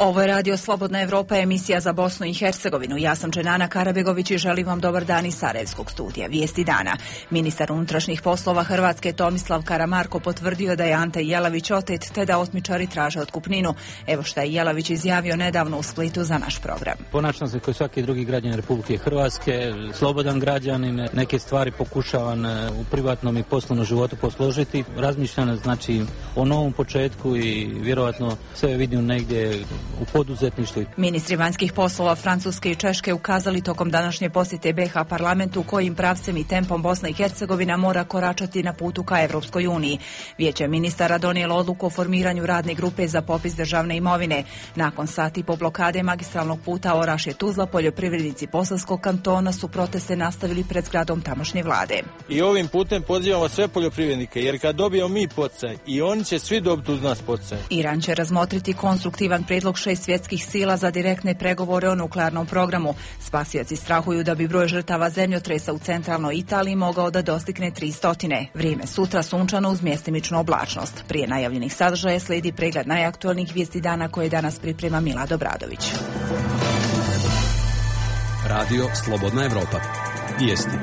Ovo je Radio Slobodna Evropa, emisija za Bosnu i Hercegovinu. Ja sam Dženana Karabegović i želim vam dobar dan iz Sarajevskog studija. Vijesti dana. Ministar unutrašnjih poslova Hrvatske Tomislav Karamarko potvrdio da je Ante Jelavić otet te da otmičari traže otkupninu. Evo šta je Jelavić izjavio nedavno u Splitu za naš program. Ponašam se kao svaki drugi građanin Republike Hrvatske, slobodan građanin, neke stvari pokušavam u privatnom i poslovnom životu posložiti. Razmišljam znači o novom početku i vjerojatno sve vidim negdje u poduzetništvu. Ministri vanjskih poslova Francuske i Češke ukazali tokom današnje posjete BiH parlamentu kojim pravcem i tempom Bosna i Hercegovina mora koračati na putu ka Evropskoj uniji. Vijeće ministara donijelo odluku o formiranju radne grupe za popis državne imovine. Nakon sati po blokade magistralnog puta Orašje-Tuzla, poljoprivrednici Bosanskog kantona su proteste nastavili pred zgradom tamošnje vlade. I ovim putem pozivamo sve poljoprivrednike, jer kad dobijemo mi poticaj i oni će svi dobiti uz nas poticaj. Iran će razmotriti konstruktivan prijedlog 6 svjetskih sila za direktne pregovore o nuklearnom programu. Spasioci strahuju da bi broj žrtava zemljotresa u centralnoj Italiji mogao da dostigne 300. Vrijeme sutra sunčano uz mjestimičnu oblačnost. Prije najavljenih sadržaja slijedi pregled najaktualnijih vijesti dana koje danas priprema Milad Obradović. Radio Slobodna Evropa. Vijesti.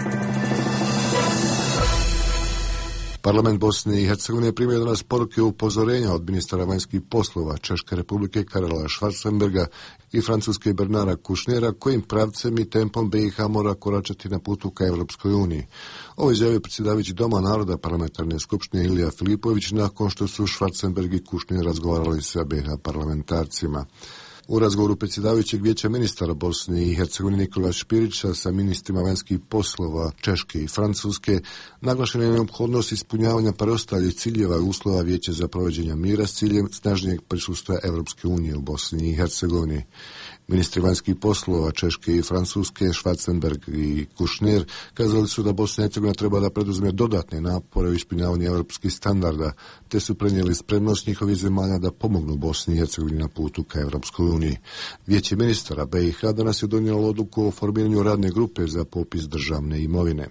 Parlament Bosne i Hercegovine primio danas poruke upozorenja od ministara vanjskih poslova Češke republike Karela Schwarzenberga i Francuske Bernara Kouchnera kojim pravcem i tempom BiH mora koračati na putu ka Evropskoj uniji. Ovo izjavio predsjedavajući Doma naroda parlamentarne skupštine Ilija Filipović nakon što su Schwarzenberg i Kouchner razgovarali sa BiH parlamentarcima. U razgovoru predsjedavajućeg vijeća ministara Bosne i Hercegovine Nikola Špirića sa ministrima vanjskih poslova Češke i Francuske naglašena je neophodnost ispunjavanja preostalih ciljeva i uslova vijeća za provođenje mira s ciljem snažnijeg prisustva Evropske unije u Bosni i Hercegovini. Ministri vanjskih poslova Češke i Francuske, Schwarzenberg i Kouchner, kazali su da Bosna i Hercegovina treba da preduzme dodatne napore u ispunjavanju evropskih standarda, te su prenijeli spremnost njihovih zemalja da pomognu Bosni i Hercegovini na putu ka Evropskoj uniji. Vijeće ministara BiH danas je donijelo odluku o formiranju radne grupe za popis državne imovine.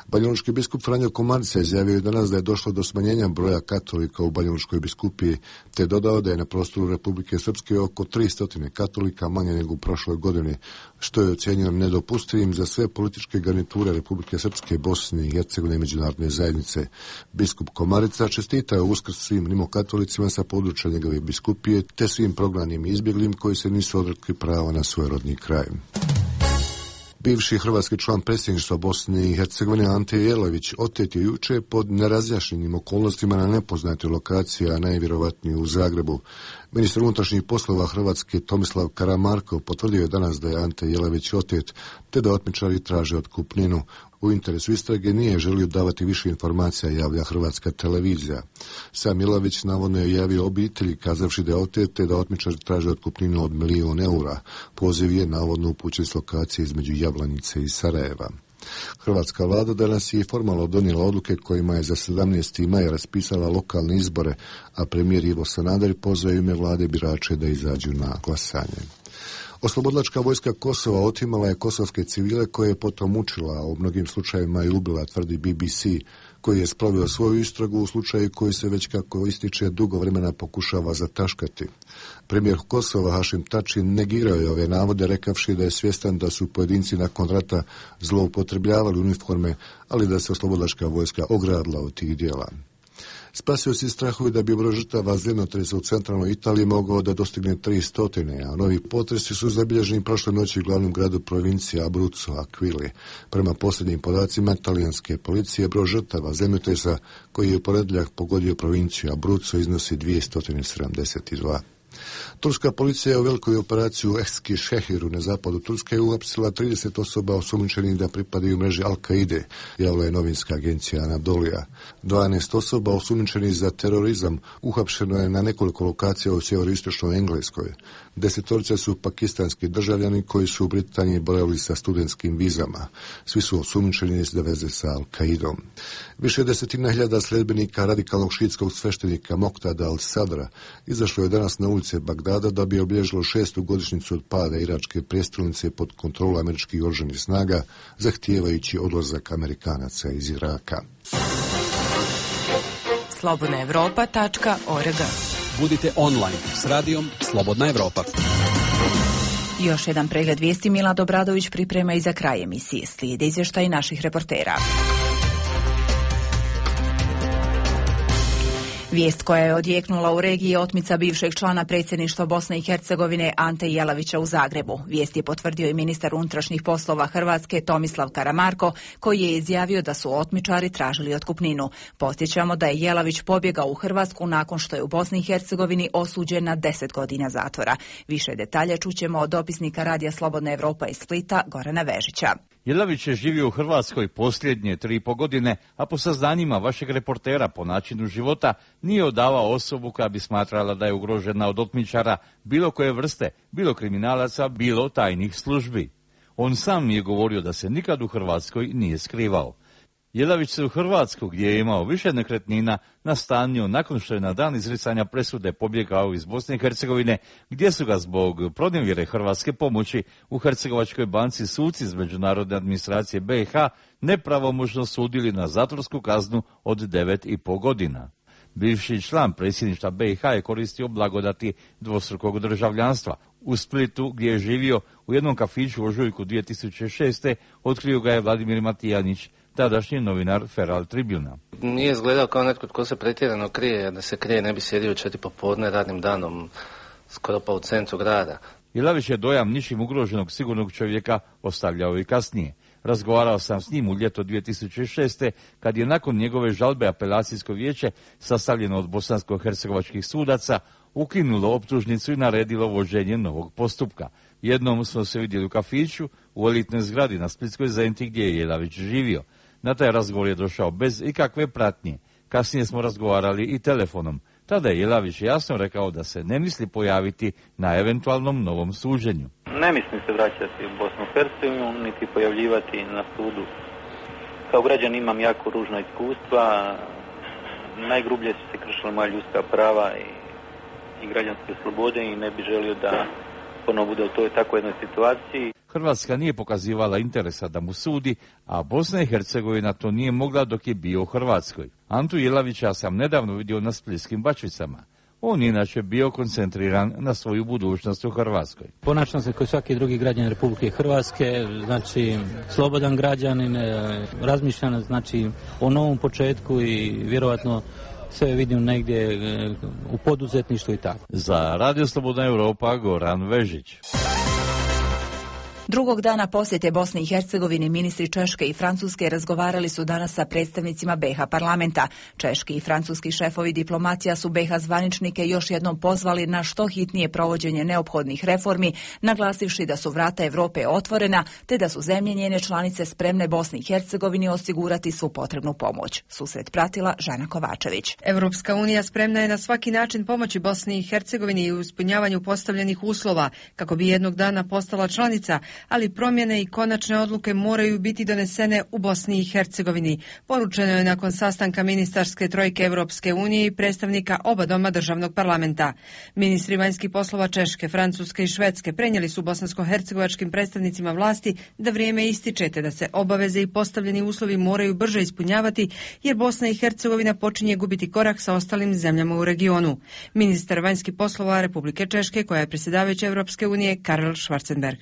Banjalučki biskup Franjo Komarica izjavio je danas da je došlo do smanjenja broja katolika u Banjalučkoj biskupiji, te dodao da je na prostoru Republike Srpske oko 300 katolika manje nego u prošloj godini, što je ocjenjeno nedopustivim za sve političke garniture Republike Srpske, Bosne i Hercegovine i međunarodne zajednice. Biskup Komarica čestitao Uskrs svim rimokatolicima sa područja njegove biskupije, te svim prognanim i izbjeglim koji se nisu odrekli prava na svoj rodni kraj. Bivši hrvatski član predsjedništva Bosne i Hercegovine Ante Jelavić otet je juče pod nerazjašnjenim okolnostima na nepoznatoj lokaciji, a najvjerovatnije u Zagrebu. Ministar unutrašnjih poslova Hrvatske Tomislav Karamarko potvrdio je danas da je Ante Jelavić otet, te da otmičari traže otkupninu. U interesu istrage nije želio davati više informacija, javlja Hrvatska televizija. Sam Jelavić navodno je javio obitelji kazavši da je otet, te da otmičari traže otkupninu od 1 000 000 eura. Poziv je navodno upućen s lokacije između Jablanice i Sarajeva. Hrvatska vlada danas je formalno donijela odluke kojima je za 17. maj raspisala lokalne izbore, a premijer Ivo Sanader pozvao ime vlade birače da izađu na glasanje. Oslobodilačka vojska Kosova otimala je kosovske civile koje je potom mučila, a u mnogim slučajevima je ubila, tvrdi BBC, koji je sproveo svoju istragu u slučaju koji se već kako ističe dugo vremena pokušava zataškati. Premijer Kosova Hašim Tači negirao je ove navode rekavši da je svjestan da su pojedinci nakon rata zloupotrebljavali uniforme, ali da se oslobodilačka vojska ogradila od tih djela. Spasioci strahuju da bi broj žrtava zemljotresa u centralnoj Italiji mogao da dostigne 300, a novi potresi su zabilježeni prošle noći u glavnom gradu provincije Abruzzo, Aquili. Prema posljednjim podacima talijanske policije, broj žrtava zemljotresa koji je u ponedjeljak pogodio provinciju Abruzzo iznosi 272. Turska policija je u velikoj operaciji u Eski Šehiru na zapadu Turske uhapsila 30 osoba osumnjičenih da pripadaju mreži Al-Kaide, javila je novinska agencija Anadolija. 12 osoba osumnjičenih za terorizam uhapšeno je na nekoliko lokacija u sjeveroistočnoj Engleskoj. 10 su pakistanski državljani koji su u Britaniji boravili sa studentskim vizama. Svi su osumnjičeni za veze sa Al-Kaidom. Više desetina hiljada sledbenika radikalnog šiitskog sveštenika Moktada al-Sadra izašlo je danas na ulice Bagdada da bi obilježilo 6. godišnjicu od pada iračke prijestolnice pod kontrolom američkih oružanih snaga, zahtijevajući odlazak Amerikanaca iz Iraka. slobodnaevropa.org Budite online s radijom Slobodna Evropa. Još jedan pregled vijesti Milad Obradović priprema i za kraj emisije. Slijede izvještaji naših reportera. Vijest koja je odjeknula u regiji je otmica bivšeg člana predsjedništva Bosne i Hercegovine Ante Jelavića u Zagrebu. Vijest je potvrdio i ministar unutrašnjih poslova Hrvatske Tomislav Karamarko, koji je izjavio da su otmičari tražili otkupninu. Podsjećamo da je Jelavić pobjegao u Hrvatsku nakon što je u Bosni i Hercegovini osuđen na 10 godina zatvora. Više detalja čućemo od dopisnika Radija Slobodna Evropa iz Splita Gorana Vežića. Jelavić je živio u Hrvatskoj posljednje 3,5 godine, a po saznanjima vašeg reportera po načinu života nije odavao osobu koja bi smatrala da je ugrožena od otmičara bilo koje vrste, bilo kriminalaca, bilo tajnih službi. On sam je govorio da se nikad u Hrvatskoj nije skrivao. Jelavić se u Hrvatsku, gdje je imao više nekretnina, nastanio nakon što je na dan izricanja presude pobjegao iz Bosne i Hercegovine, gdje su ga zbog pronevjere hrvatske pomoći u Hercegovačkoj banci suci iz međunarodne administracije BiH nepravomoćno sudili na zatvorsku kaznu od 9,5 godina. Bivši član predsjedništva BiH je koristio blagodati dvostrukog državljanstva. U Splitu, gdje je živio u jednom kafiću u ožujku 2006. otkrio ga je Vladimir Matijanić, tadašnji novinar Feral Tribuna. Nije izgledao kao netko tko se pretjerano krije, jer da se krije ne bi sjedio 4 popodne radnim danom, skoro pa u centru grada. Jelavić je dojam ničim ugroženog sigurnog čovjeka ostavljao i kasnije. Razgovarao sam s njim u ljeto 2006. kad je nakon njegove žalbe apelacijsko vijeće, sastavljeno od bosansko-hercegovačkih sudaca, ukinulo optužnicu i naredilo vođenje novog postupka. Jednom smo se vidjeli u kafiću u elitnoj zgradi na Splitskoj Zenti gdje je Jelavić živio. Na taj razgovor je došao bez ikakve pratnje. Kasnije smo razgovarali i telefonom. Tada je Jelavić jasno rekao da se ne misli pojaviti na eventualnom novom suđenju. Ne mislim se vraćati u Bosnu i Hercegovinu, niti pojavljivati na sudu. Kao građan imam jako ružna iskustva. Najgrublje su se kršila moja ljudska prava i građanske slobode i ne bi želio da ponovo bude u toj takvoj jednoj situaciji. Hrvatska nije pokazivala interesa da mu sudi, a Bosna i Hercegovina to nije mogla dok je bio u Hrvatskoj. Antu Jelavića sam nedavno vidio na Splitskim Bačvicama. On inače bio koncentriran na svoju budućnost u Hrvatskoj. Ponašam se kao svaki drugi građanin Republike Hrvatske, znači slobodan građanin, razmišljam znači o novom početku i vjerovatno sve vidim negdje u poduzetništvu i tako. Za Radio Slobodna Evropa Goran Vežić. Drugog dana posjete Bosni i Hercegovini ministri Češke i Francuske razgovarali su danas sa predstavnicima BiH parlamenta. Češki i francuski šefovi diplomacija su BiH zvaničnike još jednom pozvali na što hitnije provođenje neophodnih reformi, naglasivši da su vrata Europe otvorena, te da su zemlje njene članice spremne Bosni i Hercegovini osigurati svu potrebnu pomoć. Susret pratila Žana Kovačević. Europska unija spremna je na svaki način pomoći Bosni i Hercegovini u ispunjavanju postavljenih uslova kako bi jednog dana postala članica, ali promjene i konačne odluke moraju biti donesene u Bosni i Hercegovini. Poručeno je nakon sastanka ministarske trojke Europske unije i predstavnika oba doma državnog parlamenta. Ministri vanjskih poslova Češke, Francuske i Švedske prenijeli su bosansko-hercegovačkim predstavnicima vlasti da vrijeme ističe te da se obaveze i postavljeni uslovi moraju brže ispunjavati jer Bosna i Hercegovina počinje gubiti korak sa ostalim zemljama u regionu. Ministar vanjskih poslova Republike Češke, koja je predsjedavajuća Europske unije, Karel Schwarzenberg.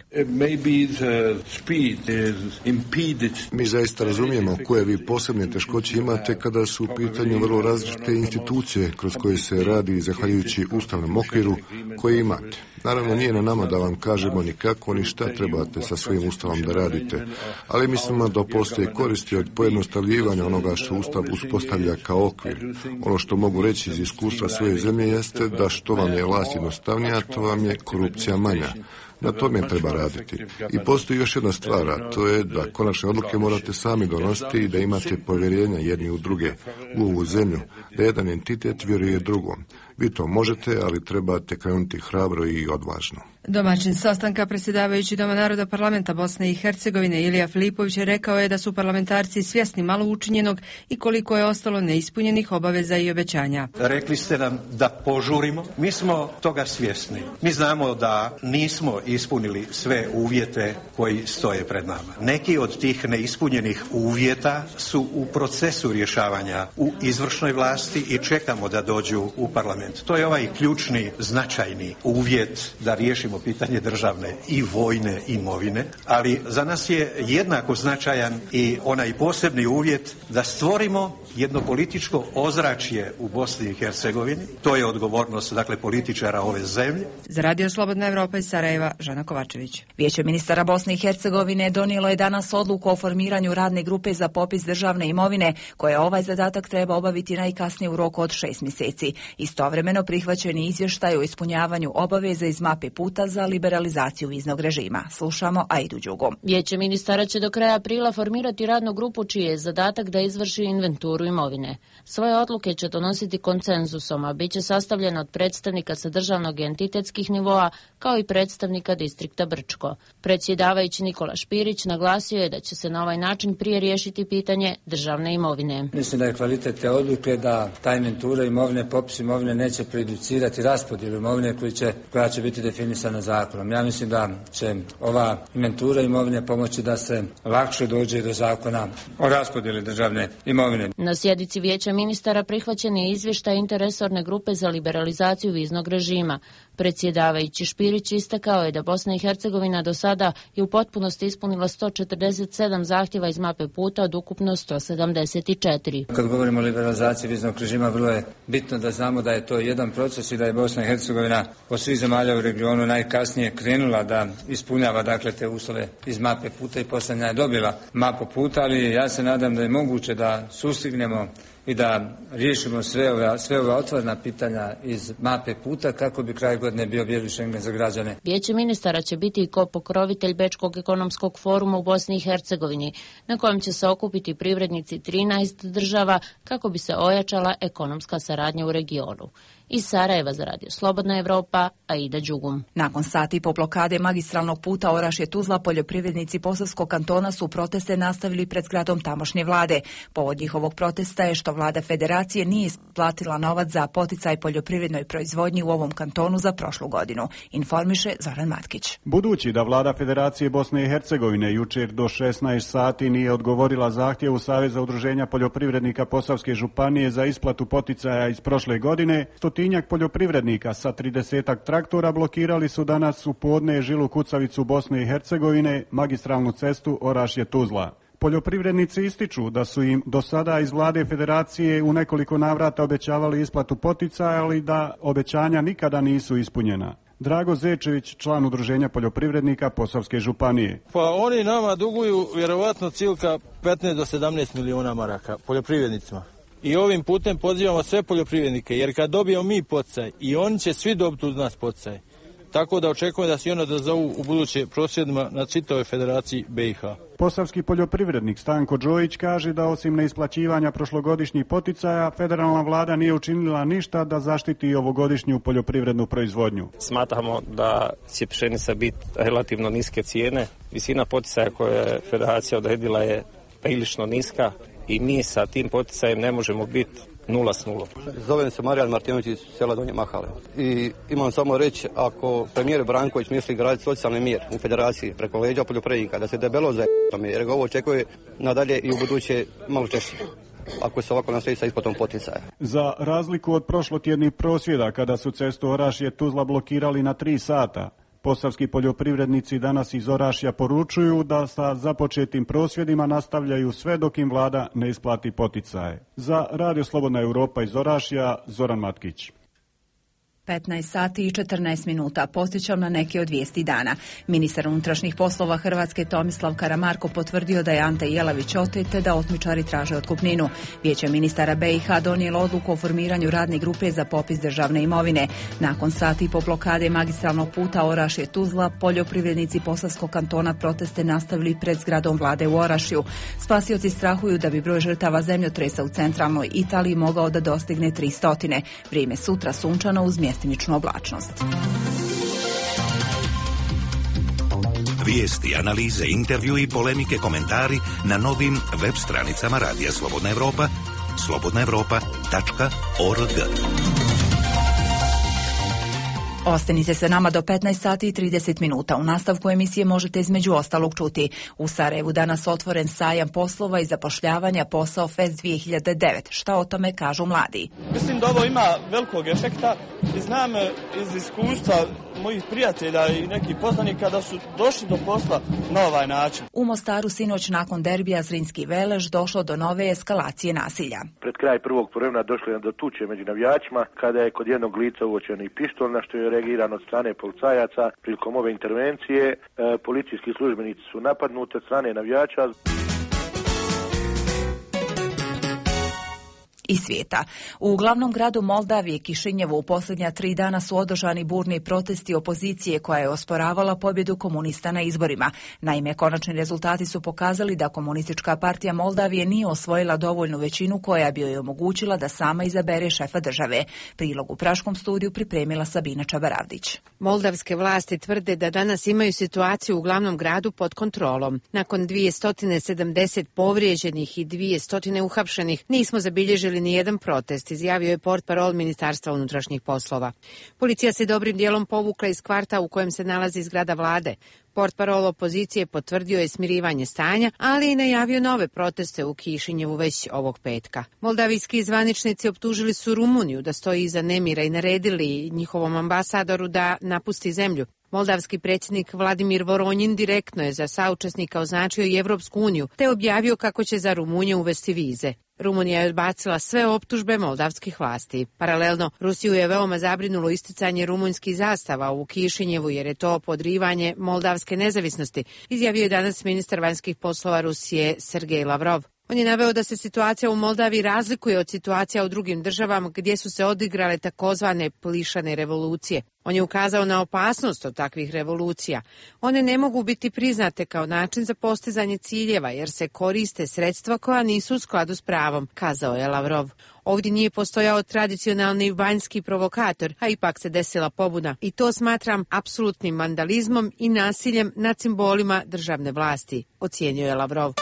Mi zaista razumijemo koje vi posebne teškoće imate kada su u pitanju vrlo različite institucije kroz koje se radi zahvaljujući ustavnom okviru koji imate. Naravno, nije na nama da vam kažemo ni kako ni šta trebate sa svojim ustavom da radite, ali mislimo da postoje koristi od pojednostavljivanja onoga što ustav uspostavlja kao okvir. Ono što mogu reći iz iskustva svoje zemlje jeste da što vam je vlast jednostavnija, to vam je korupcija manja. Na tome treba raditi. I postoji još jedna stvar, a to je da konačne odluke morate sami donositi i da imate povjerenja jedni u druge, u ovu zemlju, da jedan entitet vjeruje drugom. Vi to možete, ali trebate krenuti hrabro i odvažno. Domaćin sastanka, predsjedavajući Doma naroda parlamenta Bosne i Hercegovine Ilija Filipović rekao je da su parlamentarci svjesni malo učinjenog i koliko je ostalo neispunjenih obaveza i obećanja. Rekli ste nam da požurimo, mi smo toga svjesni. Mi znamo da nismo ispunili sve uvjete koji stoje pred nama. Neki od tih neispunjenih uvjeta su u procesu rješavanja u izvršnoj vlasti i čekamo da dođu u parlament. To je ovaj ključni, značajni uvjet da riješimo pitanje državne i vojne imovine, ali za nas je jednako značajan i onaj posebni uvjet da stvorimo jedno političko ozračje u Bosni i Hercegovini. To je odgovornost, dakle, političara ove zemlje. Za Radio Slobodna Evropa iz Sarajeva, Žana Kovačević. Vijeće ministara Bosne i Hercegovine donijelo je danas odluku o formiranju radne grupe za popis državne imovine, koja ovaj zadatak treba obaviti najkasnije u roku od 6 mjeseci. Istovremeno prihvaćen je izvještaj o ispunjavanju obaveza iz mape puta za liberalizaciju viznog režima. Slušamo Aidu Đugu. Vijeće ministara će do kraja aprila formirati radnu grupu čiji je zadatak da izvrši inventuru imovine. Svoje odluke će donositi konsenzusom, a bit će sastavljeno od predstavnika sa državnog i entitetskih nivoa, kao i predstavnika distrikta Brčko. Predsjedavajući Nikola Špirić naglasio je da će se na ovaj način prije riješiti pitanje državne imovine. Mislim da je kvalitet te odluke da ta inventura imovine, popis imovine neće prejudicirati raspodjelu imovine koja će biti definisana zakonom. Ja mislim da će ova inventura imovine pomoći da se lakše dođe do zakona o raspodjeli državne imovine. Na sjednici Vijeća ministara prihvaćen je izvještaj interresorne grupe za liberalizaciju viznog režima. Predsjedavajući Špirić istakao je da Bosna i Hercegovina do sada je u potpunosti ispunila 147 zahtjeva iz mape puta od ukupno 174. Kad govorimo o liberalizaciji viznog režima, vrlo je bitno da znamo da je to jedan proces i da je Bosna i Hercegovina od svih zemalja u regionu najkasnije krenula da ispunjava, dakle, te uslove iz mape puta i posljednja je dobila mapu puta, ali ja se nadam da je moguće da sustignemo i da riješimo sve ove otvorena pitanja iz mape puta kako bi kraj godine bio bijeli Schengen za građane. Vijeće ministara će biti i kopokrovitelj Bečkog ekonomskog foruma u Bosni i Hercegovini, na kojem će se okupiti privrednici 13 država kako bi se ojačala ekonomska saradnja u regionu. Iz Sarajeva za Radio Slobodna Evropa, Aida Đugum. Nakon sati po blokade magistralnog puta Orašje-Tuzla, poljoprivrednici Posavskog kantona su proteste nastavili pred zgradom tamošnje vlade. Povod njihovog protesta je što vlada federacije nije isplatila novac za poticaj poljoprivrednoj proizvodnji u ovom kantonu za prošlu godinu, informiše Zoran Matkić. Budući da vlada Federacije Bosne i Hercegovine jučer do 16 sati nije odgovorila zahtjevu Saveza udruženja poljoprivrednika Posavske županije za isplatu poticaja iz prošle godine, stotinjak poljoprivrednika sa 30-ak traktora blokirali su danas u podne žilu kucavicu Bosne i Hercegovine, magistralnu cestu Orašje-Tuzla. Poljoprivrednici ističu da su im do sada iz vlade federacije u nekoliko navrata obećavali isplatu poticaja, ali da obećanja nikada nisu ispunjena. Drago Zečević, član udruženja poljoprivrednika Posavske županije. Pa oni nama duguju vjerovatno cilka 15 do 17 miliona maraka poljoprivrednicima. I ovim putem pozivamo sve poljoprivrednike, jer kad dobijemo mi poticaj, i oni će svi dobiti uz nas poticaj. Tako da očekujem da se oni odazovu u buduće prosvjedima na čitavoj federaciji BiH. Posavski poljoprivrednik Stanko Đojić kaže da osim neisplaćivanja prošlogodišnjih poticaja, federalna vlada nije učinila ništa da zaštiti ovogodišnju poljoprivrednu proizvodnju. Smatramo da će pšenica biti relativno niske cijene. Visina poticaja koju je federacija odredila je prilično niska i mi sa tim poticajem ne možemo biti 0-0. Zovem se Marijan Martinović iz sela Donje Mahale. I imam samo reći, ako premijer Branković misli graditi socijalni mir u federaciji preko leđa poljoprivrednika, da se debelo za jer ga ovo očekuje nadalje i u buduće malo češće, ako se ovako nastavi sa isplatom poticaja. Za razliku od prošlotjednih prosvjeda, kada su cestu Orašje-Tuzla blokirali na 3 sata, posavski poljoprivrednici danas iz Orašja poručuju da sa započetim prosvjedima nastavljaju sve dok im vlada ne isplati poticaje. Za Radio Slobodna Europa iz Orašja, Zoran Matkić. 15 sati i 14 minuta. Podsjećam na neke od vijesti dana. Ministar unutrašnjih poslova Hrvatske Tomislav Karamarko potvrdio da je Ante Jelavić otet te da otmičari traže otkupninu. Vijeće ministara BiH donijelo odluku o formiranju radne grupe za popis državne imovine. Nakon sati po blokade magistralnog puta Orašje-Tuzla, poljoprivrednici Posavskog kantona proteste nastavili pred zgradom vlade u Orašju. Spasioci strahuju da bi broj žrtava zemljotresa u centralnoj Italiji mogao da dostigne 300. Vrijeme sutra sunčano uz mjestimičnu oblačnost. Vijesti, analize, intervju i polemike, komentari na novim web stranicama Radija Slobodna Evropa, slobodnaevropa.org. Ostanite se nama do 15 sati i 30 minuta. U nastavku emisije možete između ostalog čuti: u Sarajevu danas otvoren sajam poslova i zapošljavanja Posao Fest 2009. Šta o tome kažu mladi? Mislim da ovo ima velikog efekta i znam iz iskustva mojih prijatelja i nekih poznanika da su došli do posla na ovaj način. U Mostaru sinoć nakon derbija Zrinski Velež došlo do nove eskalacije nasilja. Pred kraj prvog poluvremena došlo je do tuče među navijačima kada je kod jednog lica uočen i pištolj, na što je reagirano od strane policajaca. Prilikom ove intervencije policijski službenici su napadnuti od strane navijača. I svijeta. U glavnom gradu Moldavije, Kišinjevu, u posljednja 3 dana su održani burni protesti opozicije koja je osporavala pobjedu komunista na izborima. Naime, konačni rezultati su pokazali da Komunistička partija Moldavije nije osvojila dovoljnu većinu koja bi joj omogućila da sama izabere šefa države. Prilog u Praškom studiju pripremila Sabina Čabaravdić. Moldavske vlasti tvrde da danas imaju situaciju u glavnom gradu pod kontrolom. Nakon 270 povrijeđenih i 200 uhapšenih nismo zabilježili ni jedan protest, izjavio je portparol Ministarstva unutrašnjih poslova. Policija se dobrim dijelom povukla iz kvarta u kojem se nalazi zgrada vlade. Portparol opozicije potvrdio je smirivanje stanja, ali i najavio nove proteste u Kišinjevu već ovog petka. Moldavijski zvaničnici optužili su Rumuniju da stoji iza nemira i naredili njihovom ambasadoru da napusti zemlju. Moldavski predsjednik Vladimir Voronjin direktno je za saučesnika označio i Evropsku uniju, te objavio kako će za Rumunje uvesti vize. Rumunija je odbacila sve optužbe moldavskih vlasti. Paralelno, Rusiju je veoma zabrinulo isticanje rumunjskih zastava u Kišinjevu jer je to podrivanje moldavske nezavisnosti, izjavio je danas ministar vanjskih poslova Rusije Sergej Lavrov. On je naveo da se situacija u Moldaviji razlikuje od situacija u drugim državama gdje su se odigrale takozvane plišane revolucije. On je ukazao na opasnost od takvih revolucija. One ne mogu biti priznate kao način za postizanje ciljeva jer se koriste sredstva koja nisu u skladu s pravom, kazao je Lavrov. Ovdje nije postojao tradicionalni vanjski provokator, a ipak se desila pobuna. I to smatram apsolutnim vandalizmom i nasiljem nad simbolima državne vlasti, ocijenio je Lavrov.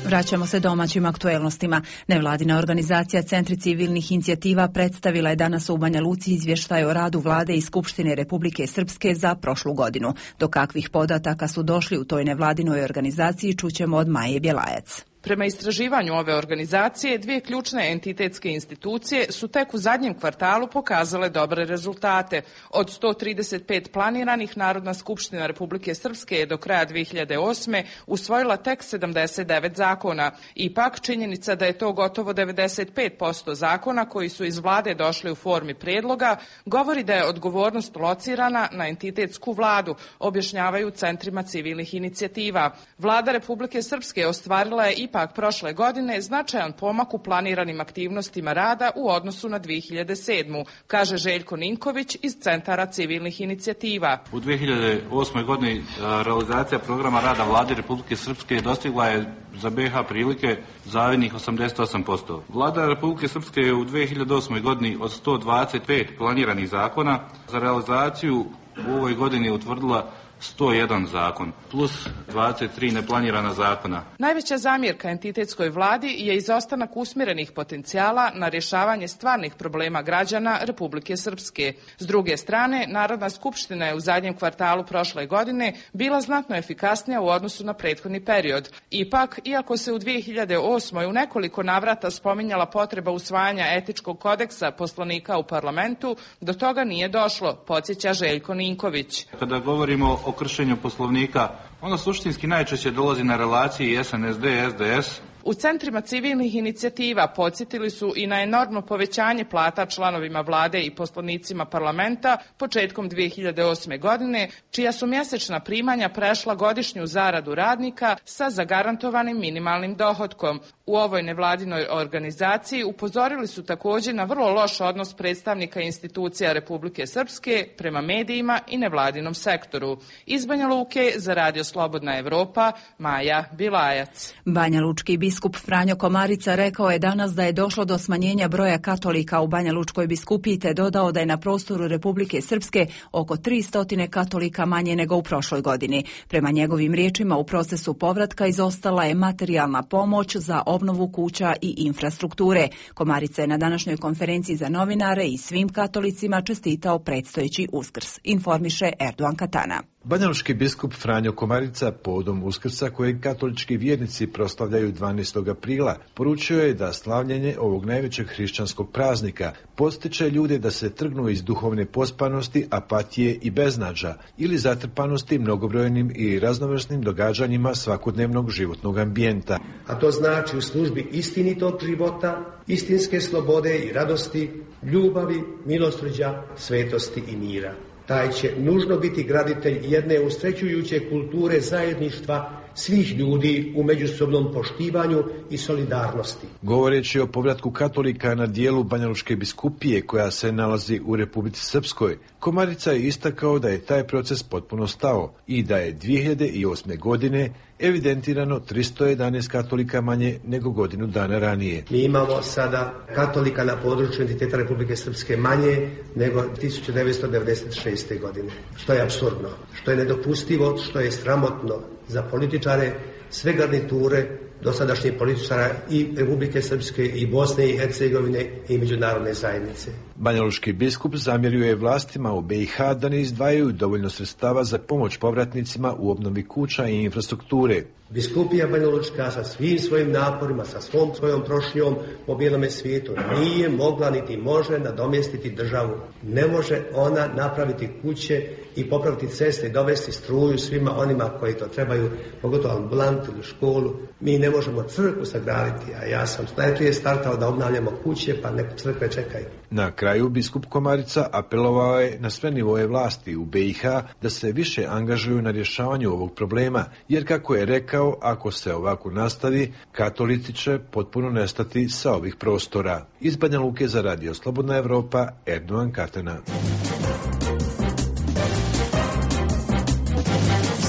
Vraćamo se domaćim aktuelnostima. Nevladina organizacija Centri civilnih inicijativa predstavila je danas u Banja Luci izvještaj o radu vlade i Skupštine Republike Srpske za prošlu godinu. Do kakvih podataka su došli u toj nevladinoj organizaciji čućemo od Maje Bjelajac. Prema istraživanju ove organizacije, 2 ključne entitetske institucije su tek u zadnjem kvartalu pokazale dobre rezultate. Od 135 planiranih, Narodna skupština Republike Srpske je do kraja 2008. usvojila tek 79 zakona. Ipak, činjenica da je to gotovo 95% zakona koji su iz vlade došli u formi predloga, govori da je odgovornost locirana na entitetsku vladu, objašnjavaju centrima civilnih inicijativa. Vlada Republike Srpske ostvarila je ipak prošle godine značajan pomak u planiranim aktivnostima rada u odnosu na 2007. kaže Željko Ninković iz Centara civilnih inicijativa. U 2008. godini realizacija programa rada Vlade Republike Srpske dostigla je za BiH prilike zavidnih 88%. Vlada Republike Srpske je u 2008. godini od 125 planiranih zakona za realizaciju u ovoj godini utvrdila 101 zakon, plus 23 neplanirana zakona. Najveća zamjerka entitetskoj vladi je izostanak usmjerenih potencijala na rješavanje stvarnih problema građana Republike Srpske. S druge strane, Narodna skupština je u zadnjem kvartalu prošle godine bila znatno efikasnija u odnosu na prethodni period. Ipak, iako se u 2008. u nekoliko navrata spominjala potreba usvajanja etičkog kodeksa poslanika u parlamentu, do toga nije došlo, podsjeća Željko Ninković. Kada govorimo o kršenju poslovnika, ono suštinski najčešće dolazi na relaciji SNSD-SDS. U centrima civilnih inicijativa podsjetili su i na enormno povećanje plata članovima vlade i poslanicima parlamenta početkom 2008. godine, čija su mjesečna primanja prešla godišnju zaradu radnika sa zagarantovanim minimalnim dohotkom. U ovoj nevladinoj organizaciji upozorili su također na vrlo loš odnos predstavnika institucija Republike Srpske prema medijima i nevladinom sektoru. Iz Banja Luke za Radio Slobodna Evropa, Maja Bilajac. Banja Lučki biskup Franjo Komarica rekao je danas da je došlo do smanjenja broja katolika u Banja Lučkoj biskupiji te dodao da je na prostoru Republike Srpske oko 300 katolika manje nego u prošloj godini. Prema njegovim riječima u procesu povratka izostala je materijalna pomoć za obnovu kuća i infrastrukture. Komarica je na današnjoj konferenciji za novinare i svim katolicima čestitao predstojeći Uskrs, informiše Erdogan Katana. Banjalučki biskup Franjo Komarica povodom Uskrsa kojeg katolički vjernici proslavljaju 12. aprila poručio je da slavljenje ovog najvećeg hrišćanskog praznika postiče ljude da se trgnu iz duhovne pospanosti, apatije i beznađa ili zatrpanosti mnogobrojnim i raznovrsnim događanjima svakodnevnog životnog ambijenta. A to znači u službi istinitog života, istinske slobode i radosti, ljubavi, milosrđa, svetosti i mira. Taj će nužno biti graditelj jedne usrećujuće kulture zajedništva svih ljudi u međusobnom poštivanju i solidarnosti. Govoreći o povratku katolika na dijelu Banjalučke biskupije koja se nalazi u Republici Srpskoj, Komarica je istakao da je taj proces potpuno stao i da je 2008. godine evidentirano 311 katolika manje nego godinu dana ranije. Mi imamo sada katolika na području entiteta Republike Srpske manje nego 1996. godine, što je apsurdno, što je nedopustivo, što je sramotno za političare, sve garniture dosadašnjih političara i Republike Srpske i Bosne i Hercegovine i međunarodne zajednice. Banjalučki biskup zamjerio je vlastima u BiH da ne izdvajaju dovoljno sredstava za pomoć povratnicima u obnovi kuća i infrastrukture. Biskupija Banjalučka sa svim svojim naporima, sa svojom prošnjom po bijelome svijetu nije mogla niti može nadomjestiti državu. Ne može ona napraviti kuće i popraviti ceste i dovesti struju svima onima koji to trebaju, pogotovo ambulantu ili školu. Mi ne možemo crkvu sagraditi, a ja sam najprije startao da obnavljamo kuće, pa neke crkve čekaju. Na kraju biskup Komarica apelovao je na sve nivoje vlasti u BiH da se više angažuju na rješavanju ovog problema, jer kako je rekao, ako se ovako nastavi, katolici će potpuno nestati sa ovih prostora. Iz Banja Luke za Radio Slobodna Evropa, Erdogan Katana.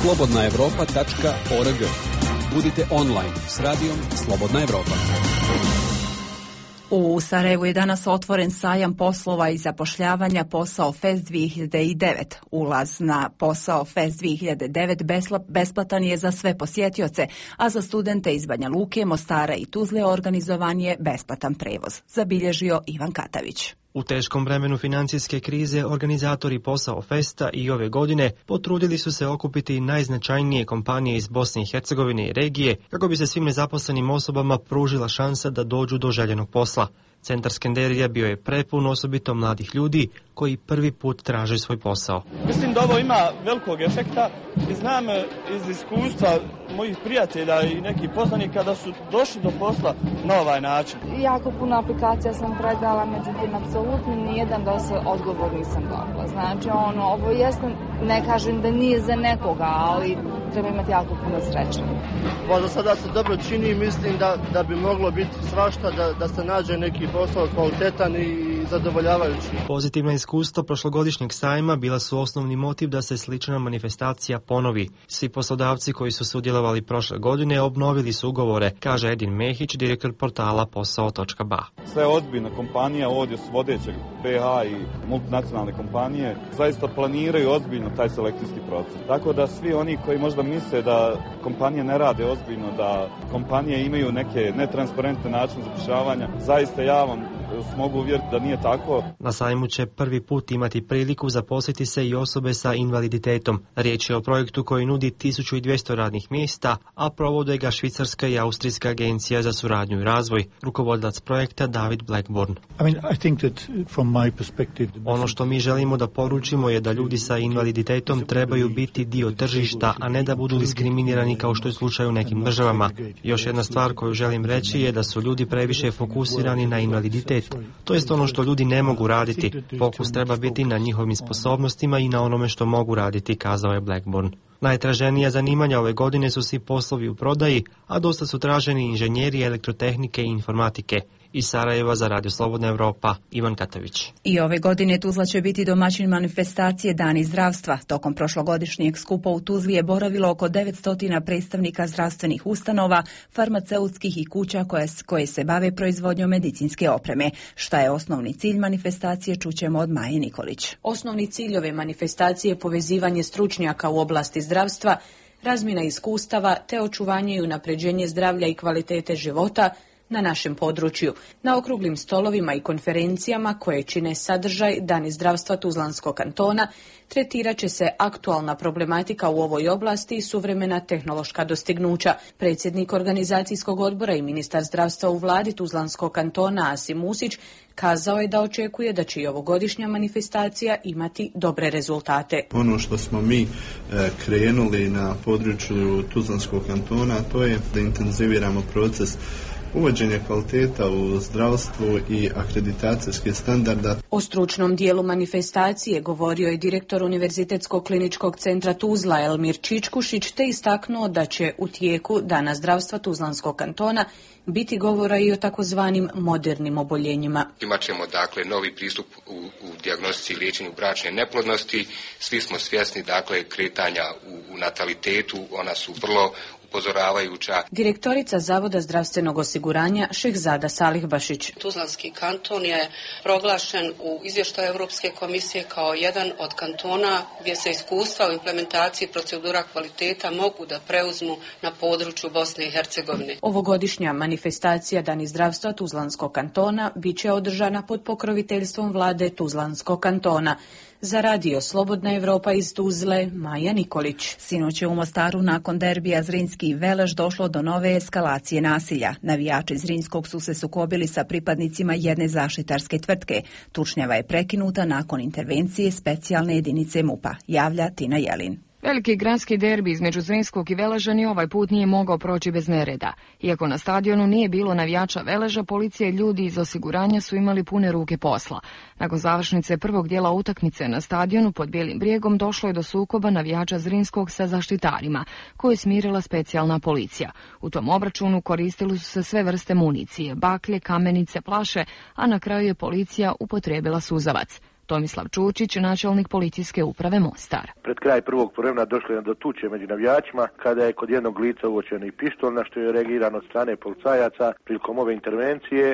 slobodnaevropa.org. Budite online s radijom Slobodna Evropa. U Sarajevu je danas otvoren sajam poslova i zapošljavanja Posao Fest 2009. Ulaz na Posao Fest 2009 besplatan je za sve posjetioce, a za studente iz Banja Luke, Mostara i Tuzle organizovan je besplatan prevoz, zabilježio Ivan Katavić. U teškom vremenu financijske krize organizatori Posao Festa i ove godine potrudili su se okupiti najznačajnije kompanije iz Bosne i Hercegovine i regije kako bi se svim nezaposlenim osobama pružila šansa da dođu do željenog posla. Centar Skenderija bio je prepun osobito mladih ljudi koji prvi put traže svoj posao. Mislim da ovo ima velikog efekta i znam iz iskustva mojih prijatelja i nekih poznanika da su došli do posla na ovaj način. Jako puno aplikacija sam predala, međutim, apsolutno nijedan odgovor nisam dobila. Znači, ovo jesno, ne kažem da nije za nekoga, ali treba imati jako puno sreće. Za sada se dobro čini, mislim da bi moglo biti svašta, da se nađe neki posao kvalitetan i zadovoljavajući. Pozitivna iskustva prošlogodišnjeg sajma bila su osnovni motiv da se slična manifestacija ponovi. Svi poslodavci koji su sudjelovali prošle godine obnovili su ugovore, kaže Edin Mehić, direktor portala posao.ba. Sve ozbiljne kompanije ovdje su vodeće BH i multinacionalne kompanije zaista planiraju ozbiljno taj selekcijski proces. Tako da svi oni koji možda misle da kompanije ne rade ozbiljno, da kompanije imaju neke netransparentne načine zapošljavanja, zaista ja vam mogu uvjeriti da nije tako. Na sajmu će prvi put imati priliku zaposliti se i osobe sa invaliditetom. Riječ je o projektu koji nudi 1200 radnih mjesta, a provode ga Švicarska i Austrijska agencija za suradnju i razvoj. Rukovodilac projekta David Blackburn. Ono što mi želimo da poručimo je da ljudi sa invaliditetom trebaju biti dio tržišta, a ne da budu diskriminirani kao što je slučaj u nekim državama. Još jedna stvar koju želim reći je da su ljudi previše fokusirani na invaliditet. To jest ono što ljudi ne mogu raditi. Fokus treba biti na njihovim sposobnostima i na onome što mogu raditi, kazao je Blackburn. Najtraženija zanimanja ove godine su svi poslovi u prodaji, a dosta su traženi inženjeri elektrotehnike i informatike. Iz Sarajeva za Radio Slobodna Evropa, Ivan Katović. I ove godine Tuzla će biti domaćin manifestacije Dani zdravstva. Tokom prošlogodišnjeg skupa u Tuzli je boravilo oko 900 predstavnika zdravstvenih ustanova, farmaceutskih i kuća koje se bave proizvodnjom medicinske opreme. Šta je osnovni cilj manifestacije, čućemo od Maje Nikolić. Osnovni cilj ove manifestacije je povezivanje stručnjaka u oblasti zdravstva, razmjena iskustava te očuvanje i unapređenje zdravlja i kvalitete života na našem području. Na okruglim stolovima i konferencijama koje čine sadržaj Dani zdravstva Tuzlanskog kantona tretirat će se aktualna problematika u ovoj oblasti i suvremena tehnološka dostignuća. Predsjednik organizacijskog odbora i ministar zdravstva u vladi Tuzlanskog kantona Asim Musić kazao je da očekuje da će i ovogodišnja manifestacija imati dobre rezultate. Ono što smo mi krenuli na području Tuzlanskog kantona, to je da intenziviramo proces uvođenje kvaliteta u zdravstvu i akreditacijske standarda. O stručnom dijelu manifestacije govorio je direktor Univerzitetskog kliničkog centra Tuzla Elmir Čičkušić te istaknuo da će u tijeku Dana zdravstva Tuzlanskog kantona biti govora i o takozvanim modernim oboljenjima. Imaćemo dakle novi pristup u dijagnostici i liječenju bračne neplodnosti. Svi smo svjesni dakle kretanja u natalitetu, ona su vrlo upozoravajuća. Direktorica Zavoda zdravstvenog osiguranja Šehzada Salihbašić. Tuzlanski kanton je proglašen u izvještaju Europske komisije kao jedan od kantona gdje se iskustva u implementaciji procedura kvaliteta mogu da preuzmu na području Bosne i Hercegovine. Ovogodišnja manifestacija Dani zdravstva Tuzlanskog kantona bit će održana pod pokroviteljstvom vlade Tuzlanskog kantona. Za Radio Slobodna Evropa iz Tuzle, Maja Nikolić. Sinoć je u Mostaru nakon derbija Zrinski i Veleš došlo do nove eskalacije nasilja. Navijači Zrinskog su se sukobili sa pripadnicima jedne zaštitarske tvrtke. Tučnjava je prekinuta nakon intervencije specijalne jedinice MUP-a, javlja Tina Jelin. Veliki gradski derbi između Zrinskog i Veleža ni ovaj put nije mogao proći bez nereda. Iako na stadionu nije bilo navijača Veleža, policija i ljudi iz osiguranja su imali pune ruke posla. Nakon završnice prvog dijela utakmice na stadionu pod Bijelim brijegom došlo je do sukoba navijača Zrinskog sa zaštitarima, koju je smirila specijalna policija. U tom obračunu koristili su se sve vrste municije, baklje, kamenice, plaše, a na kraju je policija upotrijebila suzavac. Tomislav Čučić, načelnik policijske uprave Mostar. Pred kraj prvog vremena došlo je do tuče među navijačima kada je kod jednog lica uočen i pištolj, na što je reagirano od strane policajaca. Prilikom ove intervencije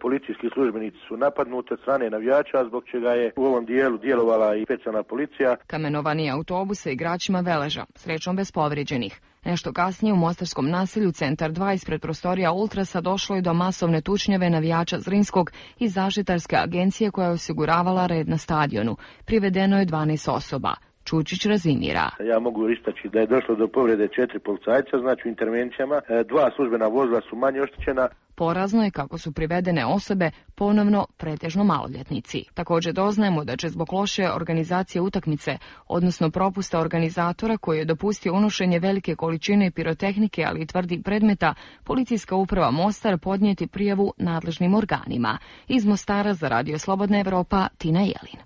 policijski službenici su napadnuti od strane navijača, zbog čega je u ovom dijelu djelovala i specijalna policija. Kamenovani autobus sa igračima Veleža, srećom bez povrijeđenih. Nešto kasnije u mostarskom naselju Centar 2 ispred prostorija Ultrasa došlo je do masovne tučnjave navijača Zrinskog i zaštitarske agencije koja je osiguravala red na stadionu. Privedeno je 12 osoba. Čučić razimira. Ja mogu istaći da je došlo do povrede 4 policajca, znači u intervencijama. 2 službena vozila su manje oštećena. Porazno je kako su privedene osobe ponovno pretežno maloljetnici. Također doznajemo da će zbog loše organizacije utakmice, odnosno propusta organizatora koji je dopustio unošenje velike količine pirotehnike, ali i tvrdih predmeta, policijska uprava Mostar podnijeti prijavu nadležnim organima. Iz Mostara za Radio Slobodna Evropa, Tina Jelin.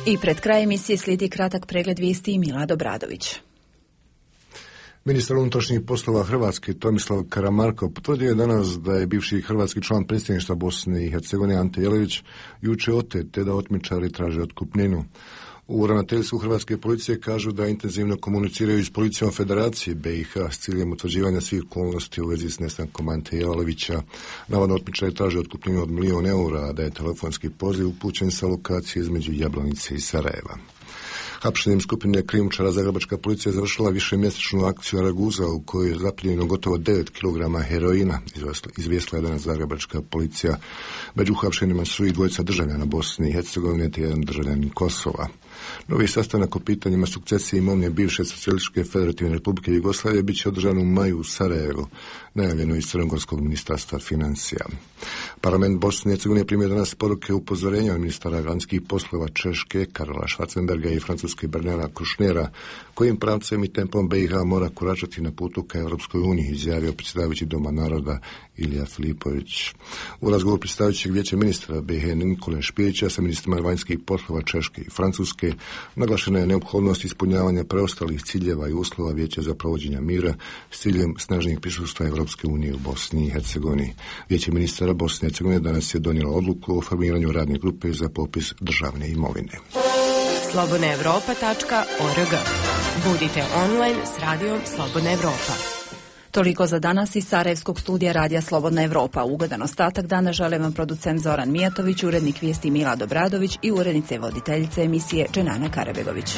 I pred kraj emisije slijedi kratak pregled vijesti i Milado Bradović. Ministar unutrašnjih poslova Hrvatske Tomislav Karamarko potvrdio je danas da je bivši hrvatski član predsjedništva Bosne i Hercegovine Ante Jelavić jučer otet te da otmičari traže otkupninu. U ravnateljstvu hrvatske policije kažu da intenzivno komuniciraju s policijom Federacije BiH s ciljem utvrđivanja svih okolnosti u vezi s nestankom Ante Jelavića. Navodno otmičari traže otkupninu od 1 milijun eura, a da je telefonski poziv upućen sa lokacije između Jablanice i Sarajeva. Hapšenjem skupine krijumčara zagrebačka policija završila višemjesečnu akciju Araguza u kojoj je zaplijenjeno gotovo 9 kg heroina, izvijestila je danas zagrebačka policija. Među hapšenima su i dvojica državljana Bosne i Hercegovine te jedan državljanin Kosova. Novi sastanak o pitanjima sukcesije imovine bivše Socijalističke federativne republike Jugoslavije bit će održan u maju u Sarajevu, najavljeno iz Crnogorskog ministarstva financija. Parlament Bosne i Hercegovine primio danas poruke upozorenja od ministara vanjskih poslova Češke Karola Schwarzenberga i Francuske Bernera Kouchnera, kojim pravcem i tempom BiH mora koračati na putu ka Europskoj uniji, izjavio predsjedavajući Doma naroda Ilija Filipović. U razgovoru predsjedavajućeg vijeća ministra BiH Nikole Špirića sa ministrima vanjskih poslova Češke i Francuske naglašena je neophodnost ispunjavanja preostalih ciljeva i uslova Vijeća za provođenje mira s ciljem snažnijeg prisustva Europske Europske unije u Bosni i Hercegovini. Vijeće ministara Bosne i Hercegovine danas je donijelo odluku o formiranju radne grupe za popis državne imovine. slobodnaevropa.org. Budite online s radijom Slobodna Evropa. Toliko za danas iz Sarajevskog studija Radija Slobodna Evropa. Ugodan ostatak dana žele vam producent Zoran Mijatović, urednik vijesti Mila Dobradović i urednice voditeljice emisije Dženana Karabegović.